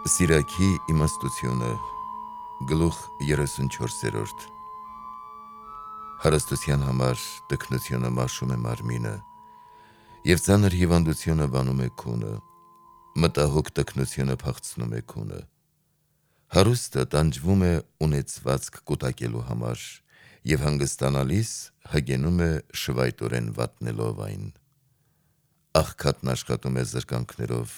Սիրակի իմաստությունը գլուխ 34 Հարստության համար տքնությունը մաշում է մարմինը և ծանր հիվանդությունը վանում է քունը, մտահոգ տքնությունը փախցնում է քունը։ Հարուստը տանջվում է ունեցվածք կուտակելու համար և հանգստանալիս հագենում է շվայտորեն վատնելով այն։ Աղքատն աշխատում է զրկանքներով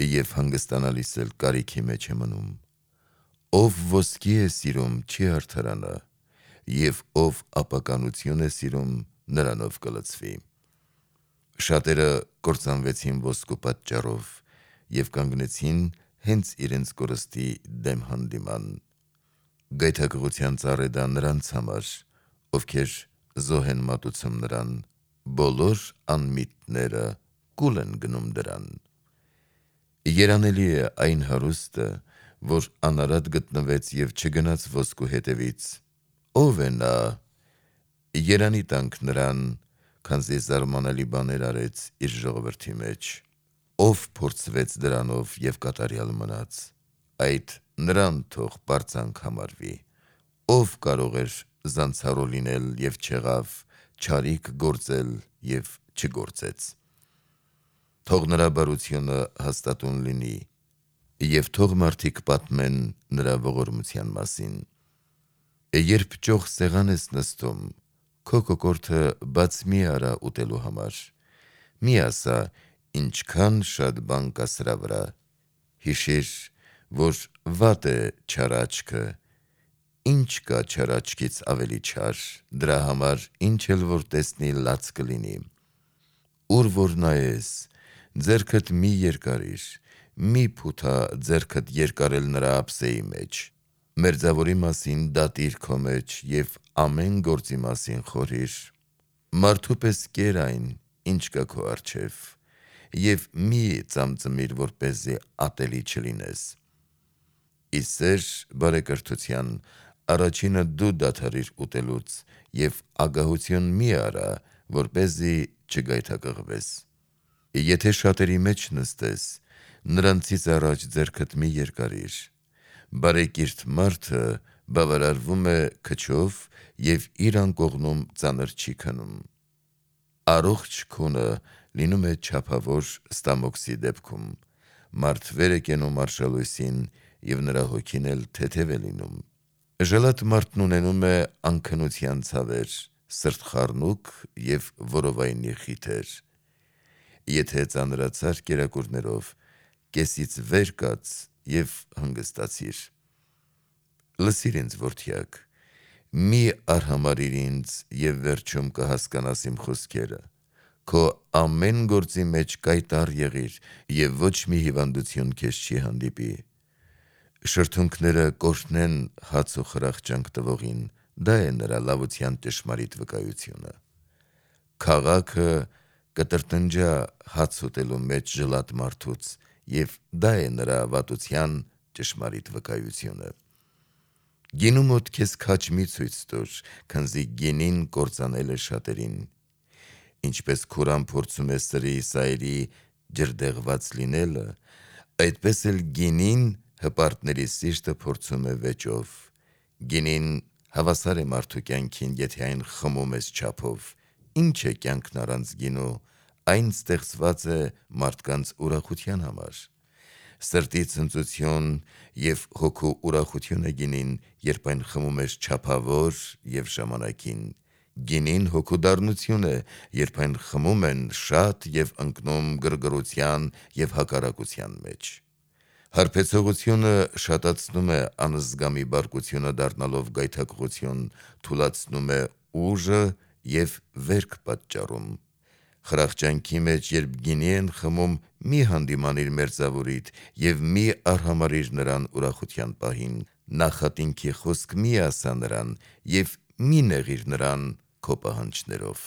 և հանգստանալիս էլ կարիքի մեջ է մնում։ Ով ոսկի է սիրում չի արդարանա, և ով ապականություն է սիրում նրանով կլցվի։ Շատերը կործանվեցին ոսկու պատճառով և կանգնեցին հենց իրենց կորստի դեմ հանդիման։ Գայթակղության ծառ է դա նրանց համար, ովքեր զոհ են մատուցում նրան, բոլոր անմիտները կուլ են գնում դրան։ Երանելի է այն հարուստը, որ անարատ գտնվեց և չգնաց ոսկու հետևից։ Ո՞վ է նա։ Երանի տանք նրան, քանզի զարմանալի բաներ արեց իր ժողովրդի մեջ։ Ով փորձվեց դրանով և կատարյալ մնաց, այդ նրան թող պարծանք համարվի։ Ով կարող էր զանցառու լինել և չեղավ, չարիք գործել և չգործեց։ Թող նրա բարությունը հաստատուն լինի, և թող մարդիկ պատմեն նրա ողորմության մասին։ Երբ ճոխ սեղան ես նստում, քո կոկորդը բաց մի արա ուտելու համար։ Մի ասա, ինչքան շատ բան կա սրա վրա։ Հիշիր, որ վատ է չար աչքը, ինչ կա չար աչքից ավելի չար, դրա համար ինչ էլ որ տեսնի լաց կլինի։ Ուր որ նայես, ձեռքդ մի երկարիր, մի փութա ձեռքդ երկարել նրա ափսեի մեջ։ Մերձավորի մասին դատիր քո մեջ և ամեն գործի մասին խորհիր։ Մարդու պես կեր այն, ինչ կա քո առջև, և մի ծամծմիր, որպեսզի ատելի չլինես։ Ի սեր բարեկրթության առաջինը դու դադարիր ուտելուց և ագահություն մի արա, որպեսզի չգայթակղվես։ Եթե շատերի մեջ նստես, նրանցից առաջ ձեռքդ մի երկարիր։ Բարեկիրթ մարդը բավարարվում է քչով և իր անկողնում ծանր չի քնում։ Առողջ քունը լինում է չափավոր ստամոքսի դեպքում։ Մարդ վեր է կենում արշալույսին և նրա հոգին էլ թեթև է լինում։ Ժլատ մարդն ունենում է անքնության ցավեր, սրտխառնուկ և որովայնի խիթեր։ Եթե ծանրացար կերակուրներով, կեսից վեր կաց և հանգստացիր։ Լսիր ինձ, որդյակ, մի արհամարհիր ինձ և վերջում կհասկանաս իմ խոսքերը։ Քո ամեն գործի մեջ կայտառ եղիր և ոչ մի հիվանդություն քեզ չի հանդիպի։ Շրթունքները կօրհնեն հաց ու խրախճանք տվողին, դա է նրա լավության ճշմարիտ վկայությունը։ Քաղաքը կտրտնջա հաց ուտելու մեջ ժլատ մարդուց, և դա է նրա վատության ճշմարիտ վկայությունը։ Գինու մոտ քեզ քաջ մի ցույց տուր, քանզի գինին կործանել է շատերին։ Ինչպես քուրան փորձում է սրի սայրի ջրդեղված լինելը, այդպես էլ գինին հպարտների սիրտը փորձում է վեճով։ Գինին հավասար է մարդու կյանքին, եթե այն խմում ես չափով։ Ինչ է կյանքն առանց գինու, այն ստեղծված է մարդկանց ուրախության համար։ Սրտի ցնծություն և հոգու ուրախություն է գինին, երբ այն խմում ես չափավոր և ժամանակին։ Գինին հոգու դառնություն է, երբ այն խմում են շատ և ընկնում գրգռության և հակառակության մեջ։ Հարբեցողությունը շատացնում է անզգամի բարկությունը դառնալով գայթակղություն, թուլացնում է ուժը և վերք պատճառում։ Խրախճանքի մեջ, երբ գինի են խմում, մի հանդիմանիր մերձավորիդ և մի արհամարհիր նրան ուրախության պահին։ Նախատինքի խոսք մի ասա նրան և մի նեղիր նրան քո պահանջներով։